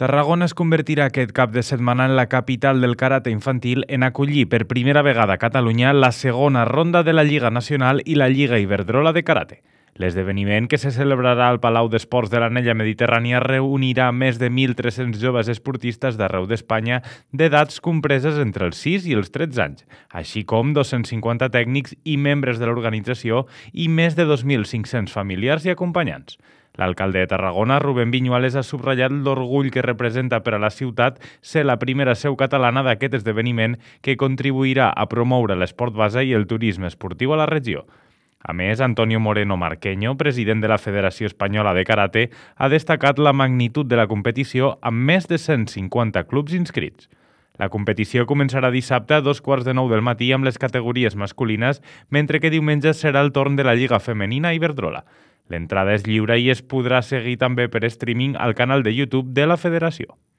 Tarragona es convertirà aquest cap de setmana en la capital del karate infantil en acollir per primera vegada a Catalunya la segona ronda de la Lliga Nacional i la Lliga Iberdrola de Karate. L'esdeveniment, que se celebrarà al Palau d'Esports de l'Anella Mediterrània, reunirà més de 1.300 joves esportistes d'arreu d'Espanya d'edats compreses entre els 6 i els 13 anys, així com 250 tècnics i membres de l'organització i més de 2.500 familiars i acompanyants. L'alcalde de Tarragona, Rubén Viñuales, ha subratllat l'orgull que representa per a la ciutat ser la primera seu catalana d'aquest esdeveniment que contribuirà a promoure l'esport base i el turisme esportiu a la regió. A més, Antonio Moreno Marqueño, president de la Federació Espanyola de Karate, ha destacat la magnitud de la competició amb més de 150 clubs inscrits. La competició començarà dissabte a 2:15 del matí amb les categories masculines, mentre que diumenge serà el torn de la Lliga Femenina Iberdrola. L'entrada és lliure i es podrà seguir també per streaming al canal de YouTube de la Federació.